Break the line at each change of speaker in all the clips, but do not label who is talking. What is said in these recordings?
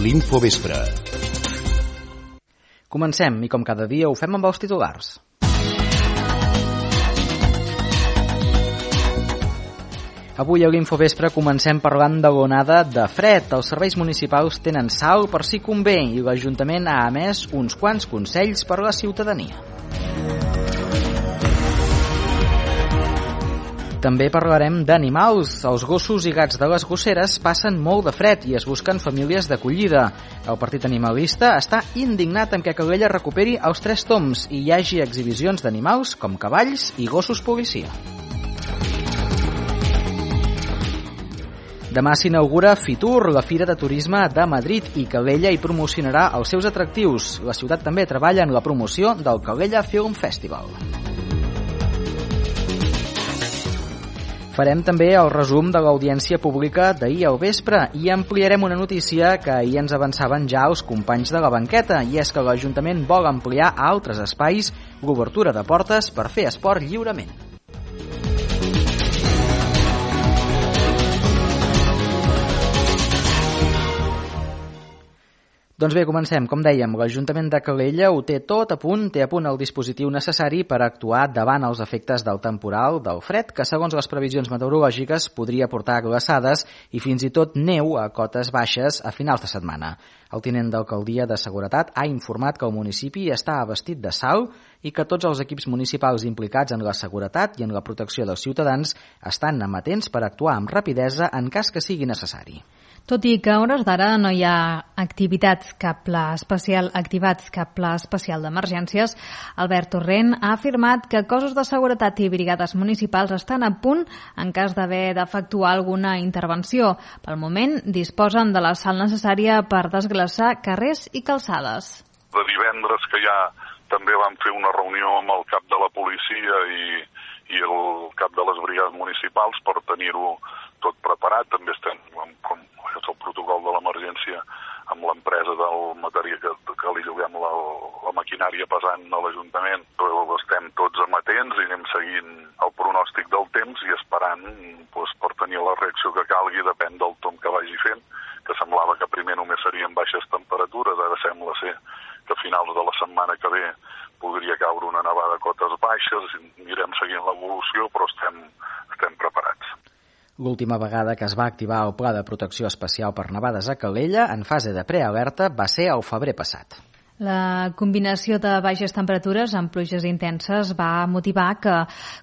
l'Infovespre.
Comencem, i com cada dia ho fem amb els titulars. Avui a l'Infovespre comencem parlant de l'onada de fred. Els serveis municipals tenen sal per si convé i l'Ajuntament ha emès uns quants consells per a la ciutadania. També parlarem d'animals. Els gossos i gats de les gosseres passen molt de fred i es busquen famílies d'acollida. El partit animalista està indignat amb que Calella recuperi els 3 toms i hi hagi exhibicions d'animals com cavalls i gossos policia. Demà s'inaugura Fitur, la Fira de Turisme de Madrid, i Calella hi promocionarà els seus atractius. La ciutat també treballa en la promoció del Calella Film Festival. Farem també el resum de l'audiència pública d'ahir al vespre i ampliarem una notícia que ahir ens avançaven ja els companys de la banqueta, i és que l'Ajuntament vol ampliar a altres espais l'obertura de portes per fer esport lliurement. Doncs bé, comencem. Com dèiem, l'Ajuntament de Calella ho té tot a punt, té a punt el dispositiu necessari per actuar davant els efectes del temporal, del fred, que segons les previsions meteorològiques podria portar glaçades i fins i tot neu a cotes baixes a finals de setmana. El tinent d'alcaldia de Seguretat ha informat que el municipi està abastit de sal i que tots els equips municipals implicats en la seguretat i en la protecció dels ciutadans estan amatents per actuar amb rapidesa en cas que sigui necessari.
Tot i que a hores d'ara no hi ha activats cap pla especial d'emergències, Albert Torrent ha afirmat que cossos de seguretat i brigades municipals estan a punt en cas d'haver d'efectuar alguna intervenció. Pel moment disposen de la sal necessària per desglaçar carrers i calçades.
De divendres que ja també vam fer una reunió amb el cap de la policia i el cap de les brigades municipals per tenir-ho tot preparat. També estem, com és el protocol de l'emergència, amb l'empresa del material que li lloguem la maquinària pesant a l'Ajuntament. Estem tots amatents i anem seguint el pronòstic del temps i esperant per tenir la reacció que calgui, depèn del tomb que vagi fent, que semblava que primer només serien baixes temperatures, ara sembla ser que a finals de la setmana que ve podria caure una nevada a cotes baixes, anirem seguint l'evolució, però estem preparats.
L'última vegada que es va activar el Pla de Protecció Especial per nevades a Calella, en fase de prealerta, va ser al febrer passat.
La combinació de baixes temperatures amb pluges intenses va motivar que,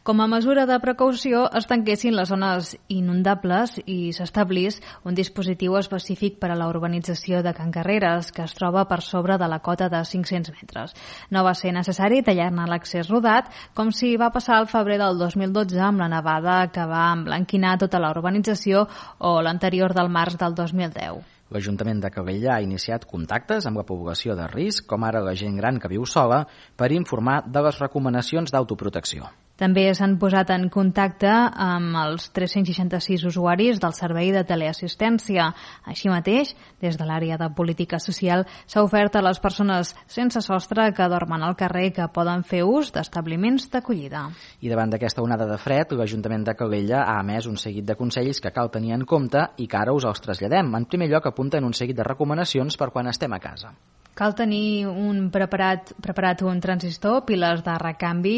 com a mesura de precaució, es tanquessin les zones inundables i s'establís un dispositiu específic per a la urbanització de Can Carreres, que es troba per sobre de la cota de 500 metres. No va ser necessari tallar-ne l'accés rodat, com si va passar al febrer del 2012 amb la nevada que va emblanquinar tota la urbanització, o l'anterior del març del 2010.
L'Ajuntament de Calella ha iniciat contactes amb la població de risc, com ara la gent gran que viu sola, per informar de les recomanacions d'autoprotecció.
També s'han posat en contacte amb els 366 usuaris del servei de teleassistència. Així mateix, des de l'àrea de política social, s'ha ofert a les persones sense sostre que dormen al carrer que poden fer ús d'establiments d'acollida.
I davant d'aquesta onada de fred, l'Ajuntament de Calella ha emès un seguit de consells que cal tenir en compte i que ara us els traslladem. En primer lloc, apunten un seguit de recomanacions per quan estem a casa.
Cal tenir preparat un transistor, piles de recanvi,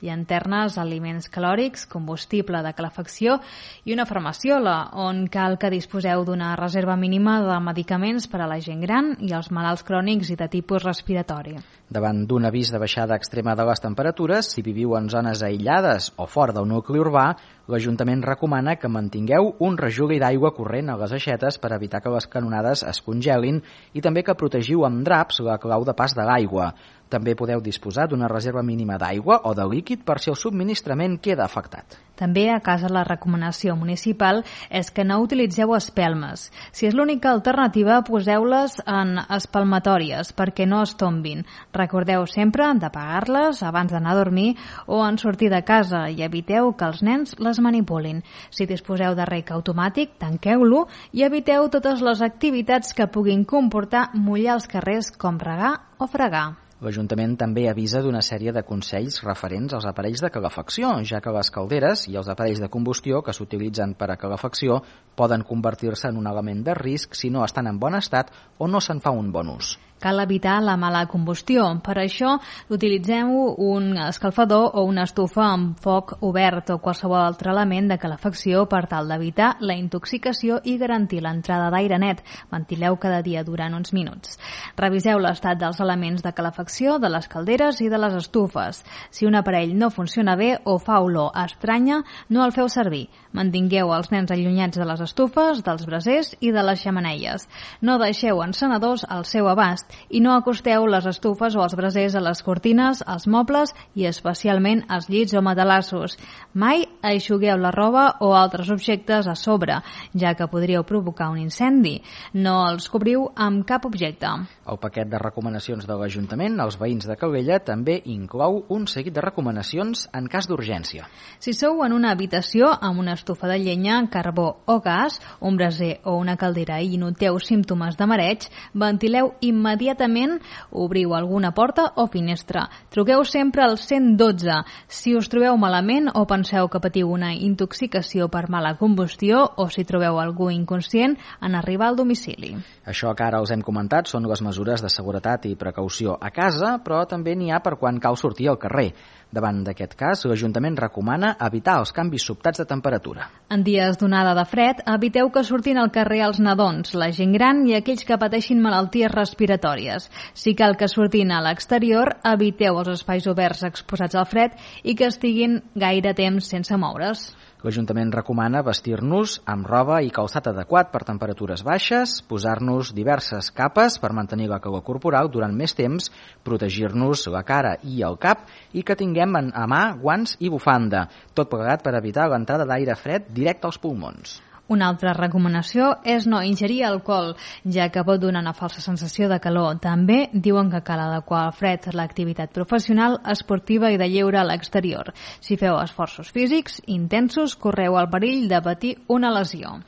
llanternes, aliments calòrics, combustible de calefacció i una farmaciola, on cal que disposeu d'una reserva mínima de medicaments per a la gent gran i els malalts crònics i de tipus respiratori.
Davant d'un avís de baixada extrema de les temperatures, si viviu en zones aïllades o fora del nucli urbà, l'Ajuntament recomana que mantingueu un rajoli d'aigua corrent a les aixetes per evitar que les canonades es congelin i també que protegiu amb draps la clau de pas de l'aigua. També podeu disposar d'una reserva mínima d'aigua o de líquid per si el subministrament queda afectat.
També a casa la recomanació municipal és que no utilitzeu espelmes. Si és l'única alternativa, poseu-les en espalmatòries perquè no es tombin. Recordeu sempre d'apagar-les abans d'anar a dormir o en sortir de casa i eviteu que els nens les manipulin. Si disposeu de rec automàtic, tanqueu-lo i eviteu totes les activitats que puguin comportar mullar els carrers com regar o fregar.
L'Ajuntament també avisa d'una sèrie de consells referents als aparells de calefacció, ja que les calderes i els aparells de combustió que s'utilitzen per a calefacció poden convertir-se en un element de risc si no estan en bon estat o no se'n fa un bon ús.
Cal evitar la mala combustió. Per això utilitzem un escalfador o una estufa amb foc obert o qualsevol altre element de calefacció per tal d'evitar la intoxicació i garantir l'entrada d'aire net. Ventileu cada dia durant uns minuts. Reviseu l'estat dels elements de calefacció, de les calderes i de les estufes. Si un aparell no funciona bé o fa olor estranya, no el feu servir. Mantingueu els nens allunyats de les estufes, dels brasers i de les xemeneies. No deixeu encenedors al seu abast i no acosteu les estufes o els brasers a les cortines, als mobles i especialment als llits o matalassos. Mai eixugueu la roba o altres objectes a sobre, ja que podríeu provocar un incendi. No els cobriu amb cap objecte.
El paquet de recomanacions de l'Ajuntament als veïns de Calella també inclou un seguit de recomanacions en cas d'urgència.
Si sou en una habitació amb una estufa de llenya, carbó o gas, un braser o una caldera i noteu símptomes de mareig, ventileu immediatament, obriu alguna porta o finestra. Truqueu sempre al 112. Si us trobeu malament o penseu que patiu una intoxicació per mala combustió o si trobeu algú inconscient en arribar al domicili.
Això que ara els hem comentat són les mesures de seguretat i precaució a casa, però també n'hi ha per quan cal sortir al carrer. Davant d'aquest cas, l'Ajuntament recomana evitar els canvis sobtats de temperatura.
En dies d'onada de fred, eviteu que surtin al carrer els nadons, la gent gran i aquells que pateixin malalties respiratòries. Si cal que surtin a l'exterior, eviteu els espais oberts exposats al fred i que estiguin gaire temps sense moure's.
L'Ajuntament recomana vestir-nos amb roba i calçat adequat per temperatures baixes, posar-nos diverses capes per mantenir la calor corporal durant més temps, protegir-nos la cara i el cap i que tinguem a mà guants i bufanda, tot plegat per evitar l'entrada d'aire fred directe als pulmons.
Una altra recomanació és no ingerir alcohol, ja que pot donar una falsa sensació de calor. També diuen que cal adequar al fred l'activitat professional, esportiva i de lleure a l'exterior. Si feu esforços físics intensos, correu el perill de patir una lesió.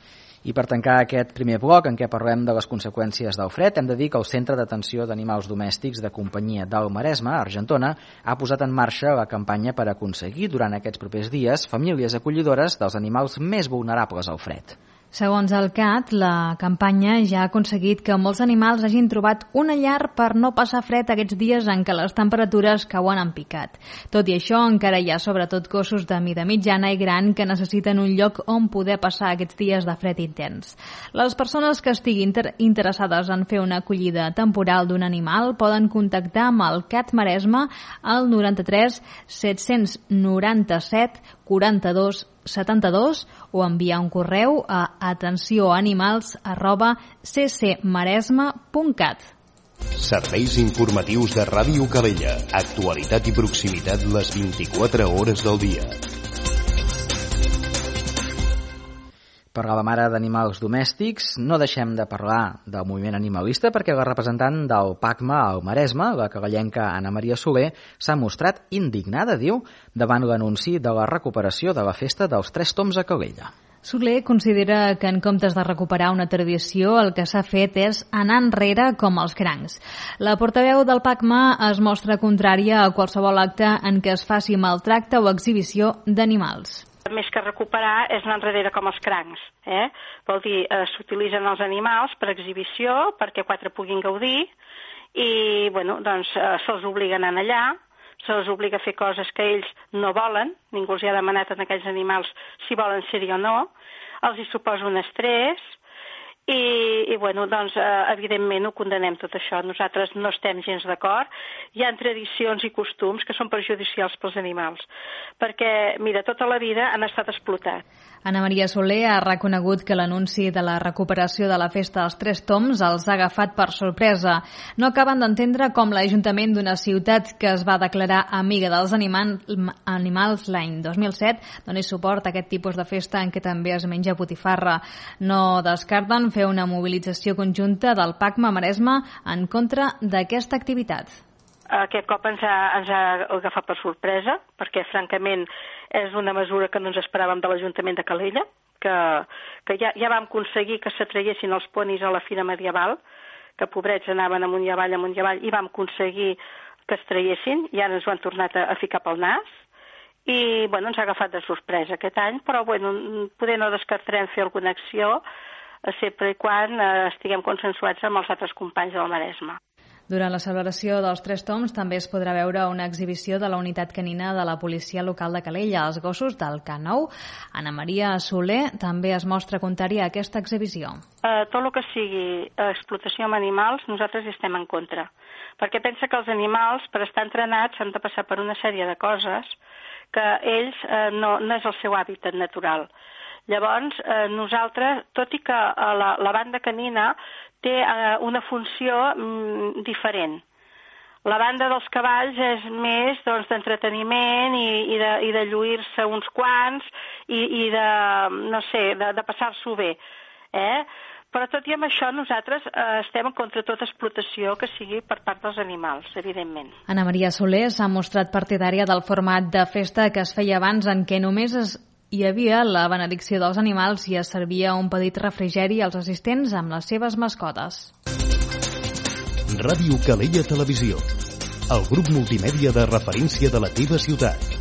I per tancar aquest primer bloc en què parlem de les conseqüències del fred, hem de dir que el Centre d'Atenció d'Animals Domèstics de Companyia del Maresme, a Argentona, ha posat en marxa la campanya per aconseguir durant aquests propers dies famílies acollidores dels animals més vulnerables al fred.
Segons el CAT, la campanya ja ha aconseguit que molts animals hagin trobat una llar per no passar fred aquests dies en què les temperatures cauen en picat. Tot i això, encara hi ha sobretot gossos de mida mitjana i gran que necessiten un lloc on poder passar aquests dies de fred intens. Les persones que estiguin interessades en fer una acollida temporal d'un animal poden contactar amb el CAT Maresme al 93 797 42 72 o enviar un correu a atencionanimals@ccmaresme.cat.
Serveis informatius de Ràdio Calella. Actualitat i proximitat les 24 hores del dia.
Parlàvem ara d'animals domèstics. No deixem de parlar del moviment animalista perquè la representant del PACMA al Maresme, la calellenca Anna Maria Soler, s'ha mostrat indignada, diu, davant l'anunci de la recuperació de la festa dels 3 toms a Calella.
Soler considera que en comptes de recuperar una tradició, el que s'ha fet és anar enrere com els crancs. La portaveu del PACMA es mostra contrària a qualsevol acte en què es faci maltracte o exhibició d'animals.
Més que recuperar és anar enrere com els crancs. Vol dir, s'utilitzen els animals per exhibició, perquè 4 puguin gaudir, i se'ls obliga a anar allà, se'ls obliga a fer coses que ells no volen, ningú els hi ha demanat a aquells animals si volen ser-hi o no, els hi suposa un estrès, evidentment ho condenem tot això. Nosaltres no estem gens d'acord. Hi ha tradicions i costums que són perjudicials pels animals, perquè, mira, tota la vida han estat explotats.
Anna Maria Soler ha reconegut que l'anunci de la recuperació de la festa dels 3 toms els ha agafat per sorpresa. No acaben d'entendre com l'Ajuntament d'una ciutat que es va declarar amiga dels animals l'any 2007 doni suport a aquest tipus de festa en què també es menja botifarra. No descarten fer una mobilització conjunta del PACMA Maresme en contra d'aquesta activitat.
Aquest cop ens ha agafat per sorpresa, perquè francament és una mesura que no ens esperàvem de l'Ajuntament de Calella, que ja vam aconseguir que s'atraiessin els ponis a la Fira Medieval, que pobrets anaven amunt i avall, i vam aconseguir que es traiessin, i ara ens ho han tornat a ficar pel nas, i bueno, ens ha agafat de sorpresa aquest any, però bueno, poder no descartarem fer alguna acció sempre i quan estiguem consensuats amb els altres companys del Maresme.
Durant la celebració dels 3 toms també es podrà veure una exhibició de la unitat canina de la policia local de Calella, els gossos del K9. Ana Maria Soler també es mostra contrària a aquesta exhibició.
Tot el que sigui explotació amb animals, nosaltres hi estem en contra. Perquè pensa que els animals, per estar entrenats, han de passar per una sèrie de coses que ells no és el seu hàbitat natural. Llavors, nosaltres, tot i que la banda canina té una funció diferent. La banda dels cavalls és més d'entreteniment i de lluir-se uns quants i de, no sé, de passar-s'ho bé. Però tot i amb això nosaltres estem contra tota explotació que sigui per part dels animals, evidentment.
Ana Maria Soler s'ha mostrat partidària del format de festa que es feia abans, en què només hi havia la benedicció dels animals i es servia un petit refrigeri als assistents amb les seves mascotes.
Ràdio Calella Televisió, el grup multimèdia de referència de la teva ciutat.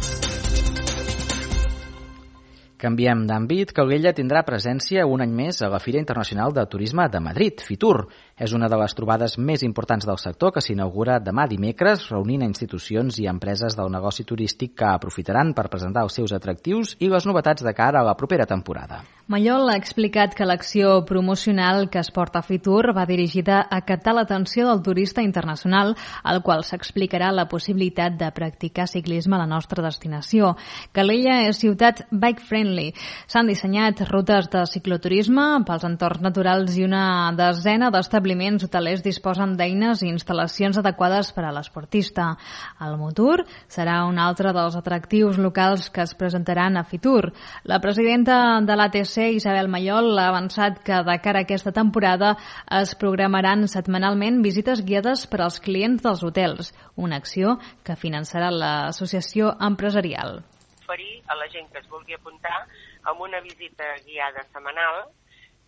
Canviem d'àmbit. Calella tindrà presència un any més a la Fira Internacional de Turisme de Madrid, FITUR. És una de les trobades més importants del sector que s'inaugura demà dimecres, reunint a institucions i empreses del negoci turístic que aprofitaran per presentar els seus atractius i les novetats de cara a la propera temporada.
Mallol ha explicat que l'acció promocional que es porta a FITUR va dirigida a captar l'atenció del turista internacional, al qual s'explicarà la possibilitat de practicar ciclisme a la nostra destinació. Calella és ciutat bike-friendly. S'han dissenyat rutes de cicloturisme pels entorns naturals i una desena d'establiments hotelers disposen d'eines i instal·lacions adequades per a l'esportista. El Motur serà un altre dels atractius locals que es presentaran a FITUR. La presidenta de l'ATC, Isabel Mallol, ha avançat que de cara a aquesta temporada es programaran setmanalment visites guiades per als clients dels hotels, una acció que finançarà l'associació empresarial.
Oferir a la gent que es vulgui apuntar amb una visita guiada setmanal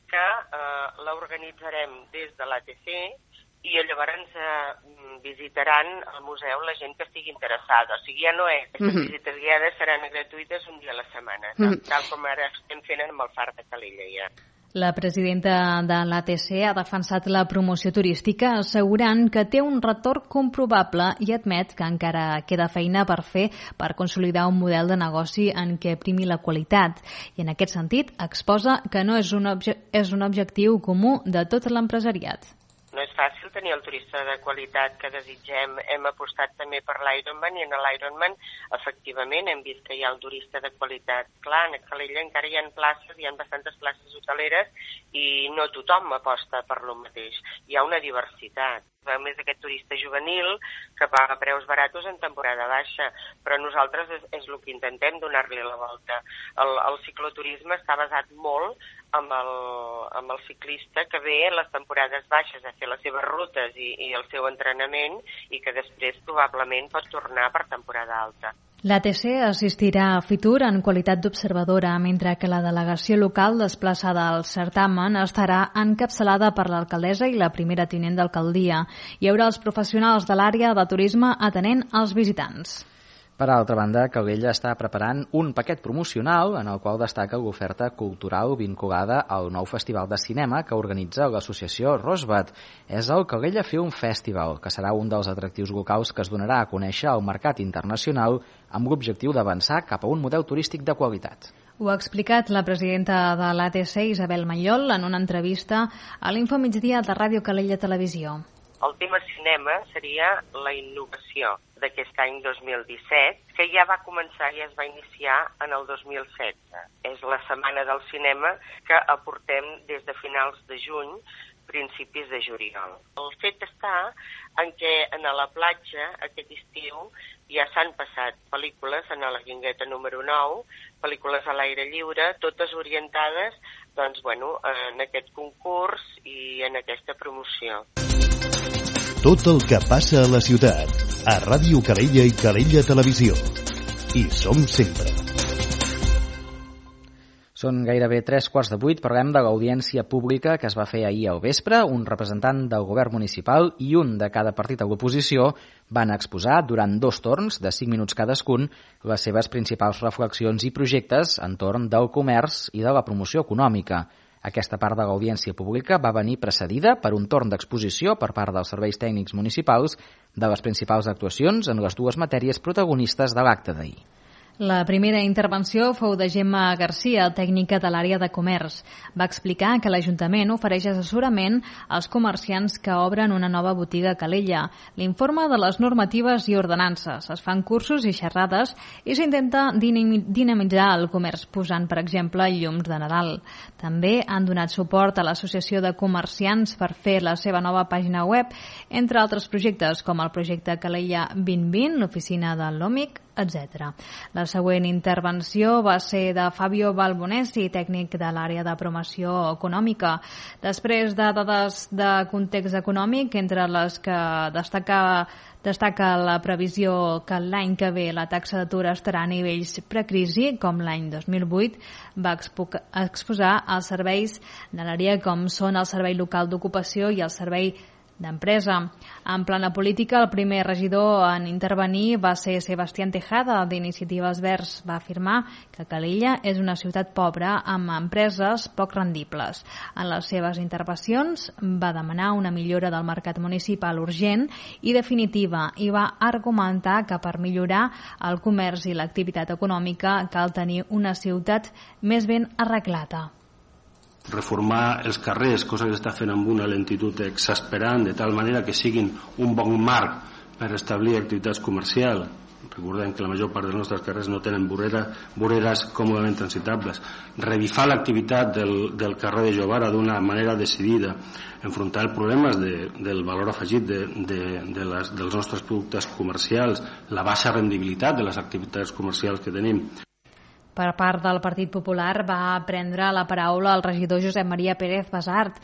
que l'organitzarem des de l'ATC i llavors visitaran el museu la gent que estigui interessada. O sigui, ja no és. Aquestes visites guiades seran gratuïtes un dia a la setmana, tal com ara estem fent amb el Far de Calella ja.
La presidenta de l'ATC ha defensat la promoció turística assegurant que té un retorn comprovable i admet que encara queda feina per fer per consolidar un model de negoci en què primi la qualitat. I en aquest sentit exposa que no és un objectiu comú de tot l'empresariat.
No és fàcil tenir el turista de qualitat que desitgem. Hem apostat també per l'Ironman i en l'Ironman efectivament hem vist que hi ha el turista de qualitat. Clar, a Calella encara hi ha places, hi ha bastantes places hoteleres i no tothom aposta per lo mateix. Hi ha una diversitat. A més, aquest turista juvenil que paga preus baratos en temporada baixa, però nosaltres és el que intentem, donar-li la volta. El cicloturisme està basat molt amb el ciclista que ve a les temporades baixes a fer les seves rutes i el seu entrenament i que després probablement pot tornar per temporada alta.
L'ATC assistirà a FITUR en qualitat d'observadora, mentre que la delegació local desplaçada al certamen estarà encapçalada per l'alcaldessa i la primera tinent d'alcaldia. Hi haurà els professionals de l'àrea de turisme atenent als visitants.
Per altra banda, Calella està preparant un paquet promocional en el qual destaca l'oferta cultural vinculada al nou festival de cinema que organitza l'associació Rosbat. És el Calella Film Festival, que serà un dels atractius locals que es donarà a conèixer al mercat internacional amb l'objectiu d'avançar cap a un model turístic de qualitat.
Ho ha explicat la presidenta de l'ATC, Isabel Mallol, en una entrevista a l'Infomigdia de Ràdio Calella Televisió.
El tema cinema seria la innovació d'aquest any 2017, que ja va començar i es va iniciar en el 2016. És la setmana del cinema que aportem des de finals de juny, principis de juliol. El fet està en què a la platja aquest estiu ja s'han passat pel·lícules en la Guingueta número 9, pel·lícules a l'aire lliure, totes orientades en aquest concurs i en aquesta promoció.
Tot el que passa a la ciutat, a Ràdio Calella i Calella Televisió. Hi som sempre.
Són gairebé 7:45, parlem de l'audiència pública que es va fer ahir al vespre. Un representant del govern municipal i un de cada partit de l'oposició van exposar durant 2 torns de 5 minuts cadascun les seves principals reflexions i projectes entorn del comerç i de la promoció econòmica. Aquesta part de l'audiència pública va venir precedida per un torn d'exposició per part dels serveis tècnics municipals de les principals actuacions en les 2 matèries protagonistes de l'acte d'ahir.
La primera intervenció fou de Gemma Garcia, tècnica de l'àrea de comerç. Va explicar que l'Ajuntament ofereix assessorament als comerciants que obren una nova botiga a Calella. L'informe de les normatives i ordenances. Es fan cursos i xerrades i s'intenta dinamitzar el comerç posant, per exemple, llums de Nadal. També han donat suport a l'Associació de Comerciants per fer la seva nova pàgina web, entre altres projectes com el projecte Calella 2020, l'oficina de l'OMIC, etc. La següent intervenció va ser de Fabio Balbonesi, tècnic de l'àrea de promoció econòmica. Després de dades de context econòmic, entre les que destaca la previsió que l'any que ve la taxa d'atur estarà a nivells precrisi, com l'any 2008, va exposar els serveis de l'àrea com són el Servei Local d'Ocupació i el Servei d'Empresa. En plana política, el primer regidor en intervenir va ser Sebastián Tejada, d'Iniciatives Verds. Va afirmar que Calella és una ciutat pobra amb empreses poc rendibles. En les seves intervencions va demanar una millora del mercat municipal urgent i definitiva i va argumentar que per millorar el comerç i l'activitat econòmica cal tenir una ciutat més ben arreglada.
Reformar els carrers, cosa que s'està fent amb una lentitud exasperant, de tal manera que siguin un bon marc per establir activitats comercials. Recordem que la major part dels nostres carrers no tenen voreres còmodament transitables. Revifar l'activitat del carrer de Jovara d'una manera decidida, enfrontar els problemes del valor afegit dels nostres productes comercials, la baixa rendibilitat de les activitats comercials que tenim.
Per part del Partit Popular va prendre la paraula el regidor Josep Maria Pérez Basart.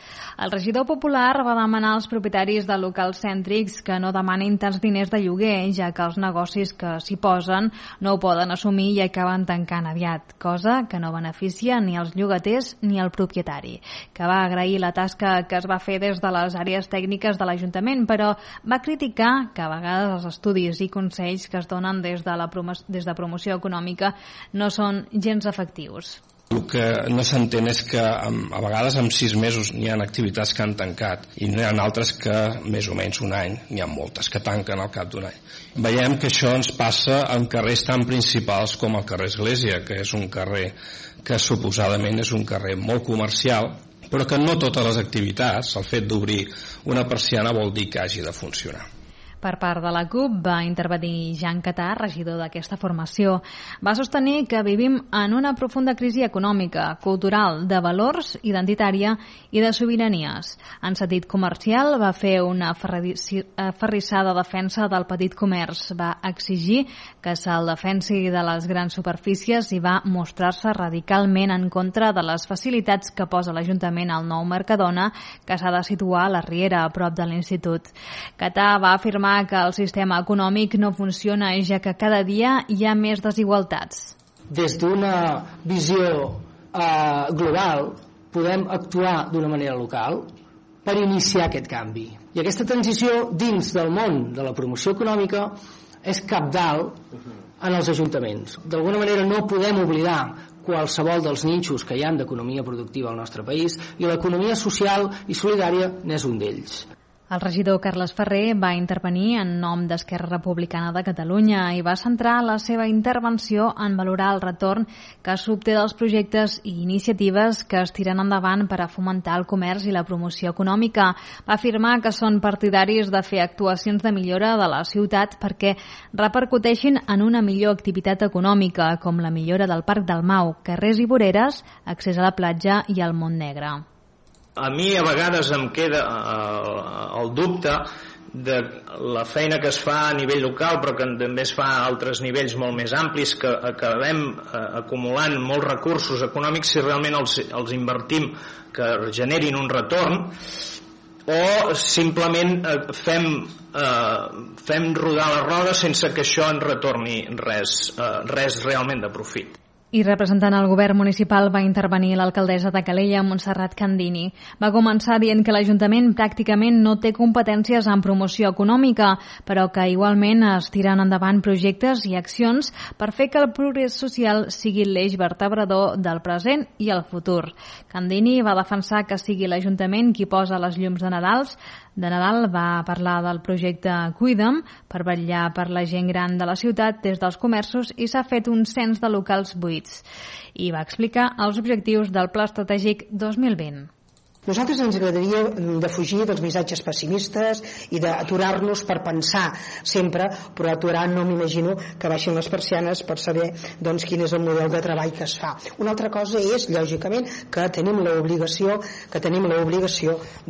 El regidor popular va demanar als propietaris de locals cèntrics que no demanin tants diners de lloguer, ja que els negocis que s'hi posen no ho poden assumir i acaben tancant aviat, cosa que no beneficia ni els llogaters ni el propietari, que va agrair la tasca que es va fer des de les àrees tècniques de l'Ajuntament, però va criticar que a vegades els estudis i consells que es donen des de promoció econòmica no són gens efectius.
El que no s'entén és que a vegades en 6 mesos n'hi ha activitats que han tancat i n'hi ha altres que més o menys un any, n'hi ha moltes que tanquen al cap d'un any. Veiem que això ens passa en carrers tan principals com el carrer Església, que és un carrer que suposadament és un carrer molt comercial, però que no totes les activitats, el fet d'obrir una persiana vol dir que hagi de funcionar.
Per part de la CUP va intervenir Jean Catà, regidor d'aquesta formació. Va sostenir que vivim en una profunda crisi econòmica, cultural, de valors, identitària i de sobiranies. En sentit comercial va fer una aferrissada defensa del petit comerç. Va exigir que se'l defensi de les grans superfícies i va mostrar-se radicalment en contra de les facilitats que posa l'Ajuntament al nou Mercadona, que s'ha de situar a la Riera, a prop de l'Institut. Catà va afirmar que el sistema econòmic no funciona, ja que cada dia hi ha més desigualtats.
Des d'una visió global podem actuar d'una manera local per iniciar aquest canvi. I aquesta transició dins del món de la promoció econòmica és cabdal en els ajuntaments. D'alguna manera no podem oblidar qualsevol dels nínxols que hi ha d'economia productiva al nostre país i l'economia social i solidària n'és un d'ells.
El regidor Carles Ferrer va intervenir en nom d'Esquerra Republicana de Catalunya i va centrar la seva intervenció en valorar el retorn que s'obté dels projectes i iniciatives que es tiren endavant per a fomentar el comerç i la promoció econòmica. Va afirmar que són partidaris de fer actuacions de millora de la ciutat perquè repercuteixin en una millor activitat econòmica, com la millora del Parc del Mau, carrers i voreres, accés a la platja i al Montnegre.
A mi a vegades em queda el dubte de la feina que es fa a nivell local, però que també es fa a altres nivells molt més amplis, que acabem acumulant molts recursos econòmics si realment els invertim que generin un retorn, o simplement fem rodar la roda sense que això ens retorni res realment de profit.
I representant el govern municipal va intervenir l'alcaldessa de Calella, Montserrat Candini. Va començar dient que l'Ajuntament pràcticament no té competències en promoció econòmica, però que igualment es tiren endavant projectes i accions per fer que el progrés social sigui l'eix vertebrador del present i el futur. Candini va defensar que sigui l'Ajuntament qui posa les llums de Nadal, va parlar del projecte Cuida'm per vetllar per la gent gran de la ciutat des dels comerços i s'ha fet un cens de locals buits. I va explicar els objectius del Pla Estratègic 2020.
Nosaltres ens agradaria defugir dels missatges pessimistes i d'aturar-nos per pensar sempre, però aturar no m'imagino que baixin les persianes per saber quin és el model de treball que es fa. Una altra cosa és, lògicament, que tenim l'obligació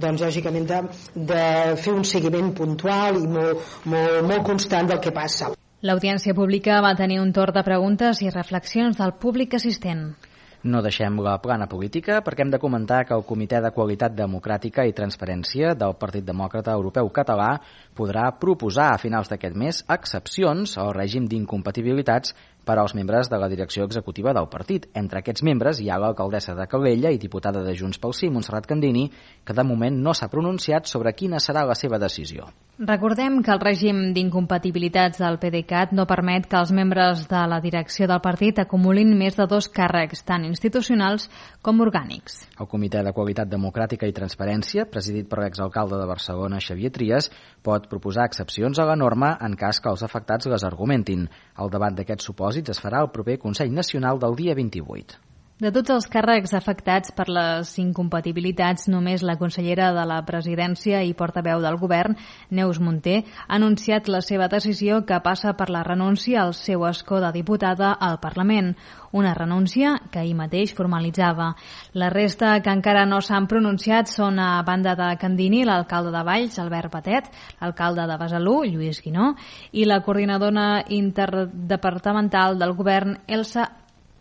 lògicament, de fer un seguiment puntual i molt constant del que passa.
L'audiència pública va tenir un torn de preguntes i reflexions del públic assistent.
No deixem la plana política perquè hem de comentar que el Comitè de Qualitat Democràtica i Transparència del Partit Demòcrata Europeu Català podrà proposar a finals d'aquest mes excepcions al règim d'incompatibilitats per als membres de la direcció executiva del partit. Entre aquests membres hi ha l'alcaldessa de Calella i diputada de Junts pel Sí, Montserrat Candini, que de moment no s'ha pronunciat sobre quina serà la seva decisió.
Recordem que el règim d'incompatibilitats del PDeCAT no permet que els membres de la direcció del partit acumulin més de 2 càrrecs, tant institucionals com orgànics.
El Comitè de Qualitat Democràtica i Transparència, presidit per l'exalcalde de Barcelona, Xavier Trias, pot proposar excepcions a la norma en cas que els afectats les argumentin. El debat d'aquests supòsits es farà al proper Consell Nacional del dia 28.
De tots els càrrecs afectats per les incompatibilitats, només la consellera de la Presidència i portaveu del Govern, Neus Munté, ha anunciat la seva decisió que passa per la renúncia al seu escó de diputada al Parlament, una renúncia que ahir mateix formalitzava. La resta que encara no s'han pronunciat són, a banda de Candini, l'alcalde de Valls, Albert Patet, l'alcalde de Besalú, Lluís Guinó, i la coordinadora interdepartamental del Govern, Elsa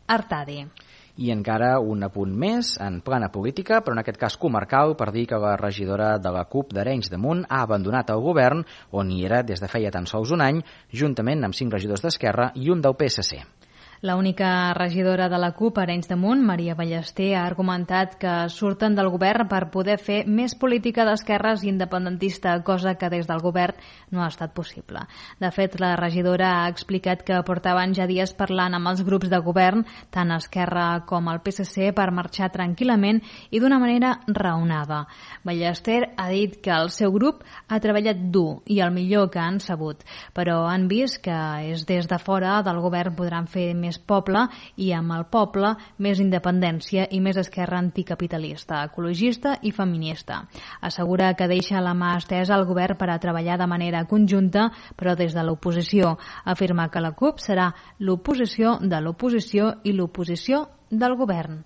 Artadi.
I encara un apunt més en plana política, però en aquest cas comarcal, per dir que la regidora de la CUP d'Arenys de Munt ha abandonat el govern, on hi era des de feia tan sols un any, juntament amb 5 regidors d'Esquerra i un del PSC.
La única regidora de la CUP, Arenys de Munt, Maria Ballester, ha argumentat que surten del govern per poder fer més política d'esquerres i independentista, cosa que des del govern no ha estat possible. De fet, la regidora ha explicat que portaven ja dies parlant amb els grups de govern, tant Esquerra com el PSC, per marxar tranquil·lament i d'una manera raonada. Ballester ha dit que el seu grup ha treballat dur i el millor que han sabut, però han vist que és des de fora del govern podran fer més poble i amb el poble més independència i més esquerra anticapitalista, ecologista i feminista. Assegura que deixa la mà estesa al govern per a treballar de manera conjunta, però des de l'oposició. Afirma que la CUP serà l'oposició de l'oposició i l'oposició del govern.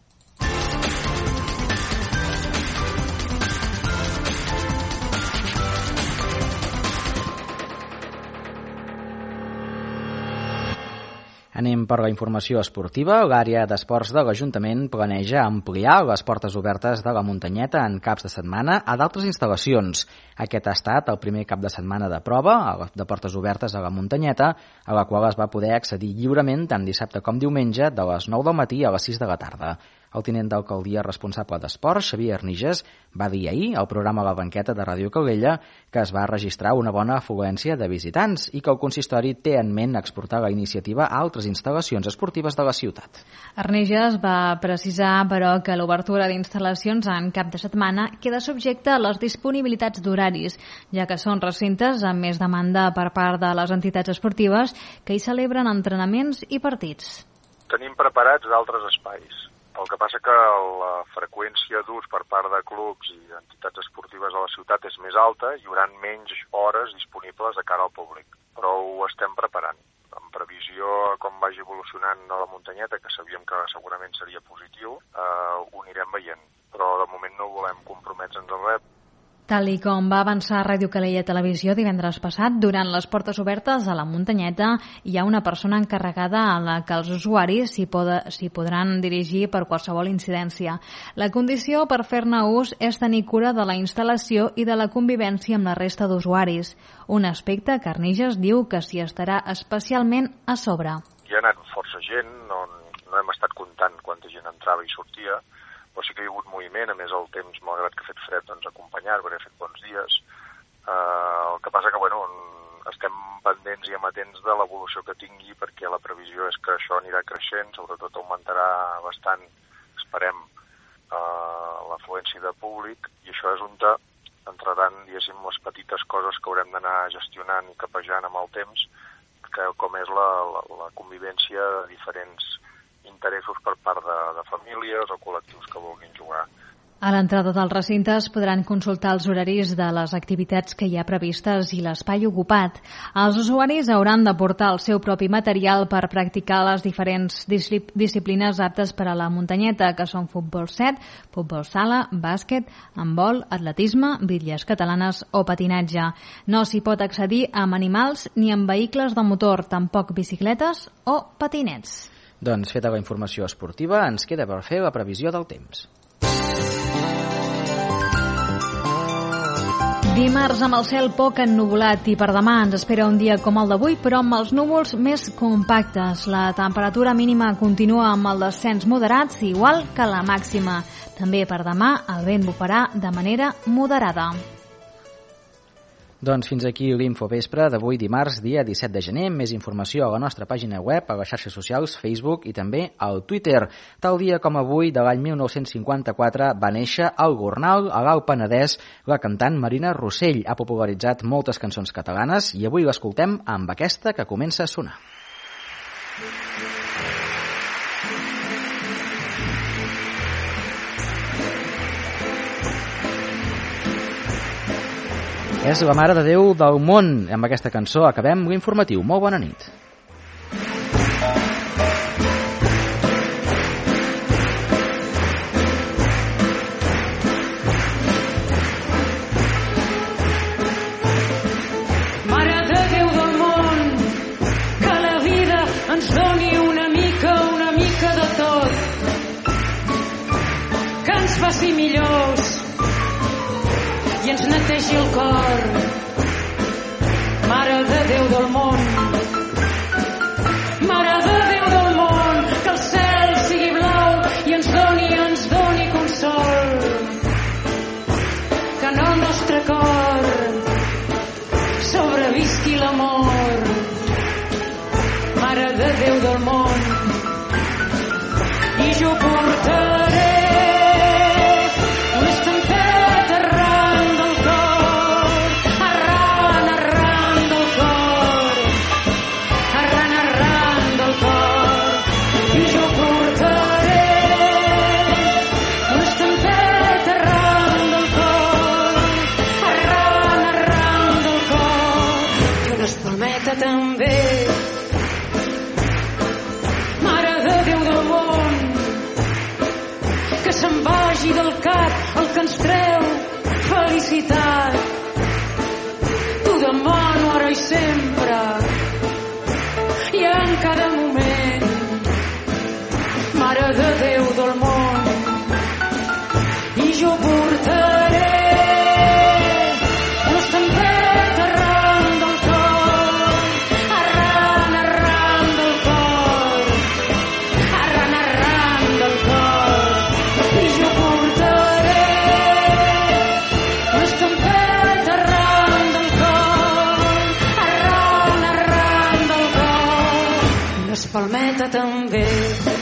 Anem per la informació esportiva. L'àrea d'esports de l'Ajuntament planeja ampliar les portes obertes de la Muntanyeta en caps de setmana a d'altres instal·lacions. Aquest ha estat el primer cap de setmana de prova de portes obertes a la Muntanyeta, a la qual es va poder accedir lliurement tant dissabte com diumenge de les 9 del matí a les 6 de la tarda. El tinent d'alcaldia responsable d'esports, Xavier Arniges, va dir ahir al programa La Banqueta de Ràdio Calella que es va registrar una bona afluència de visitants i que el consistori té en ment exportar la iniciativa a altres instal·lacions esportives de la ciutat.
Arniges va precisar, però, que l'obertura d'instal·lacions en cap de setmana queda subjecte a les disponibilitats d'horaris, ja que són recintes amb més demanda per part de les entitats esportives que hi celebren entrenaments i partits.
Tenim preparats d'altres espais. El que passa que la freqüència d'ús per part de clubs i entitats esportives a la ciutat és més alta i hi haurà menys hores disponibles de cara al públic. Però ho estem preparant. En previsió a com vagi evolucionant a la Muntanyeta, que sabíem que segurament seria positiu, ho anirem veient. Però de moment no volem comprometre'ns en res.
Tal i com va avançar Ràdio Calella Televisió divendres passat, durant les portes obertes a la Muntanyeta hi ha una persona encarregada a la que els usuaris s'hi podran dirigir per qualsevol incidència. La condició per fer-ne ús és tenir cura de la instal·lació i de la convivència amb la resta d'usuaris, un aspecte que Arniges diu que s'hi estarà especialment a sobre.
Hi ha anat força gent, no no hem estat comptant quanta gent entrava i sortia, però sí que hi ha hagut moviment, a més el temps, malgrat que ha fet fred, doncs acompanyar, perquè ha fet bons dies. El que passa que, bueno, estem pendents i amatents de l'evolució que tingui, perquè la previsió és que això anirà creixent, sobretot augmentarà bastant, esperem, l'afluència de públic, i això és on entraran, diguéssim, les petites coses que haurem d'anar gestionant i capejant amb el temps, com és la convivència de diferents interessos per part de famílies o col·lectius que vulguin jugar.
A l'entrada dels recintes podran consultar els horaris de les activitats que hi ha previstes i l'espai ocupat. Els usuaris hauran de portar el seu propi material per practicar les diferents disciplines aptes per a la muntanyeta, que són futbol 7, futbol sala, bàsquet, handbol, atletisme, bitlles catalanes o patinatge. No s'hi pot accedir amb animals ni amb vehicles de motor, tampoc bicicletes o patinets.
Doncs feta la informació esportiva, ens queda per fer la previsió del temps.
Dimarts amb el cel poc ennuvolat i per demà ens espera un dia com el d'avui, però amb els núvols més compactes. La temperatura mínima continua amb el descens moderat, igual que la màxima. També per demà el vent bufarà de manera moderada.
Doncs fins aquí l'Infovespre d'avui dimarts, dia 17 de gener. Més informació a la nostra pàgina web, a les xarxes socials, Facebook i també al Twitter. Tal dia com avui, de l'any 1954, va néixer al Gornal, a l'Alt Penedès, la cantant Marina Rossell. Ha popularitzat moltes cançons catalanes i avui l'escoltem amb aquesta que comença a sonar. És la Mare de Déu del món. Amb aquesta cançó acabem l'informatiu. Molt bona nit.
Mare de Déu del món, que la vida ens doni una mica de tot, que ens faci millors i ens netegi el cor. Mare de Déu del món, Mare de Déu del món, que el cel sigui blau i ens doni consol, que en el nostre cor sobrevisqui l'amor. Mare de Déu del món, i jo portaré també. Mare de Déu del món, que se'n vagi del cap el que ens treu felicitat. T'ho demano ara i sempre i en cada moment. Mare de Déu del món, i jo portaré palmeta també.